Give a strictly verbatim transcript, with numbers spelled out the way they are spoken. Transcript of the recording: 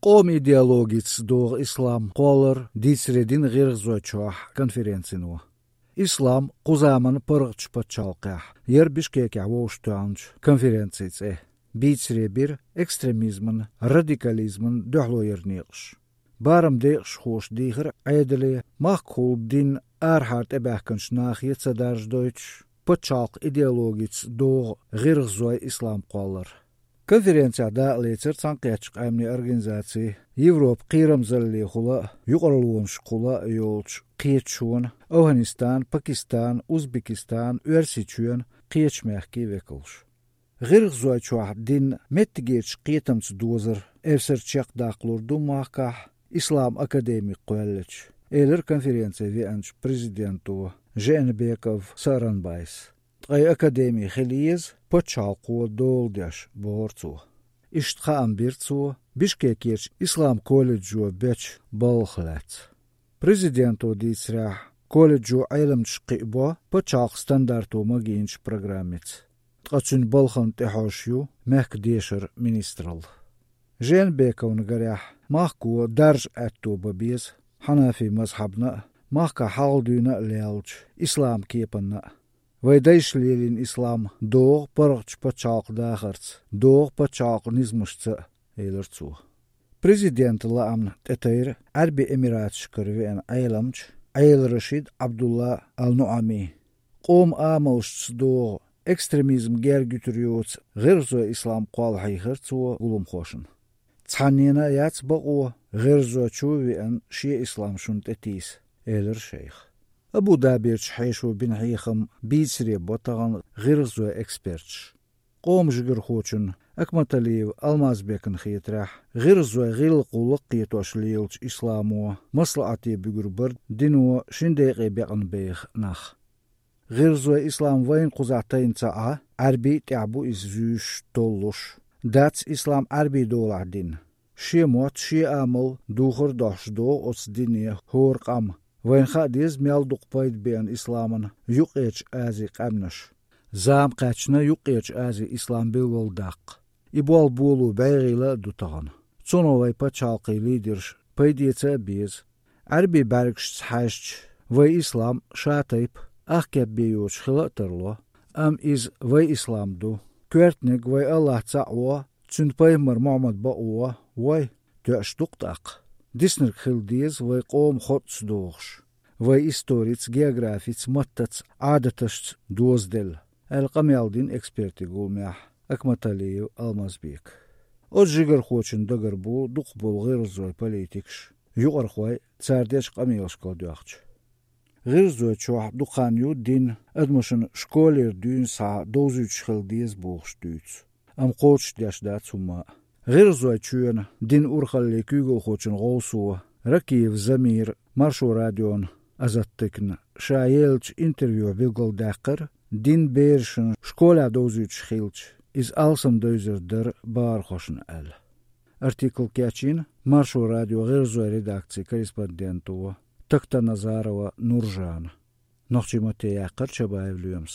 Къоман идеологица догӀу ислам кхоллар дийцаре дина ГӀиргӀазойчохь конференцино. Ислам кху заманан паргӀатчу пачхьалкхехь яра Бишкекехь вовшахтоьхначу конференцин цӀе. Бийцаре бира экстремизман, радикализман дуьхьало яран некъаш. Барам декъашхоша дийхира Ӏедале, махкахула дин арахьара тӀебаьхкинчу нахе ца даржадойтуш, пачхьалкхан идеологица догӀу гӀиргӀазойн ислам кхоллар. Конференцехь дакъа лецира Цхьаьнакхеттачу Къаьмнийн Организацин, Европан кхерамзаллехула а, юкъараллонашкахула а йолчу кхеташонан, АфгӀанистан, Пакистан, Узбекистан, Оьрсийчоьнан, кхечу мехкийн векалш. ГӀиргӀазойчохь дин меттигерчу кхетамца дозар эвсара чекхдаккхалур ду махкахь, ислам академи кхоьллича, элира конференце веанчу президенто Жээнбеков Сооронбайс. Ткъа и академи хила еза пачхьалкхо дола деш, бохура цо. Иштта хаам бира цо Бишкекерчу ислам колледжо бечу балхах лаьцна. Президенто дийцарехь, колледжо Ӏеламчаш кхиабо пачхьалкхан стандарто магийначу программица. Ткъа цуьнан балхана тӀехьожуш ю мехкан дешаран министралла. Жээнбековна гарехь, махко даржа аьтто бан беза, хьанафи мазхьабна а, махкахь хьалха дуьйна а леллачу ислам кепанна а. Вайн дайша лелийна ислам догӀу паргӀатчу пачхьалкхан дахарца, догӀу пачхьалкхан низамашца а, элира цо. Президентан лаамна тӀетайра Ӏаьрбийн Эмираташкара веана Ӏеламча Ӏел-Рашид Ӏабдулла Ал-НуӀами. Къоман амалшца догӀу экстремизм герга юьтур йоцу гӀиргӀазойн ислам кхолла хьийхира цо гуламхошна. Цхьаннена а яц бакъо, гӀиргӀазойчу а веана, шен ислам шуна тӀетийса, элира шайха. Абу-Даберчу хьешо бина хьехам бийцаре бо тахана гӀиргӀазойн эксперташа. Къоман жигархочунна Акматалиев Алмазбекна хетарехь, гӀиргӀазойн гӀиллакх-гӀуллакх кхетош лелачу исламо маслаӀате буьгур бара дино шина декъе бекъна беха нах. ГӀиргӀазойн ислам вайна кхузахь тайна ца Ӏа, Ӏаьрбий а тӀехь бу иза зуьйш, толлуш. Дац ислам Ӏаьрбийн долахь дин. Шен мотт, шен амал духар а дохьуш догӀу оцу дине хӀора къам. Вайна хаа деза мел дукха пайда беана исламна Юккъерчу Азин къаьмнаш. Зама кхаьчна Юккъерчу Азин ислам билгалдаккха. И болх боло бӀе гӀийла а ду тахана. Цунах вайн пачхьалкхийн лидерш пайда эца а беза. Ӏаьрбийн бӀаьргашца хьаьжча, вайн ислам ша тайпа, ах кеп бен йоцуш хила а тарло, амма иза вайн ислам ду. Коьртаниг вайн АллахӀ цхьаъ во, Цуьнан пайхамар Мухьаммад бакъ во, вой, тоьаш ду-кх тӀаккха. Диснарг хила деза вайн къоман хотӀца догӀуш, вайн историца, географица, маттаца, Ӏадаташца дозаделла, аьлла къамел дина экспертийн гуламехь Акматалиев Алмазбека. Оцу жигархочун дагара бу дукхахболу гӀиргӀазойн политикаш, юкъархой цара дечу къамелашкахула доьгӀча. ГӀиргӀазойчохь дукха хан ю дин адамашна школера дуьйна схьа довзуьйтуш хила деза бохуш дуьйцу. Амма кхочушдеш дац хӀумма а. ГӀиргӀазойчоьнан динан урхаллин куьйгалхочун гӀовсо Ракиев Замира Маршо радион Азаттыкна ша еллачу интервьюхь билгалдаьккхира, дин берашна школехь довзуьйтуш хилча, иза алсамдевзар дара бахархошна аьлла. Артикл кечйина Маршо радион гӀиргӀазойн редакцин корреспонденто Тактаназарова Нуржана. Нохчийн матте яьккхира Чабаев Лоьмас.